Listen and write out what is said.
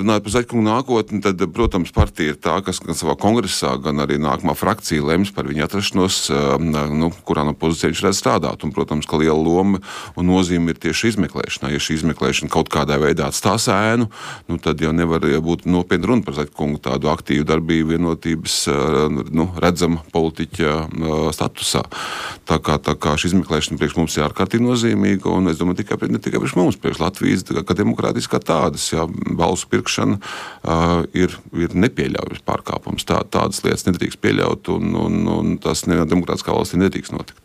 runājot par Zaķkungu nākotni, tad, protams, partija ir tā, kas gan savā kongresā, gan arī nākamā frakcija lems par viņa atrašanos, kurā no pozīcijā viņš redz strādāt. Un, protams, ka liela loma un nozīme ir tieši izmeklēšanā. Ja šī izmeklēšana kaut kādā veidā atstās ēnu, tad jau nevar būt nopietna runa par Zaķkungu tādu aktīvu darbību vienotības, redzama politiķa statusā. Tā kā šī izmeklēšana priekš mums ir ārkārtīgi nozīmīga, un es domāju, ne tikai priekš mums, priekš Latvijas, kā demokrātijas kā tādas, balsu pirkšana ir nepieļaujams pārkāpums. Tādas lietas nedrīkst pieļaut, un tas nevienā demokrātiskā valstī nedrīkst notikt.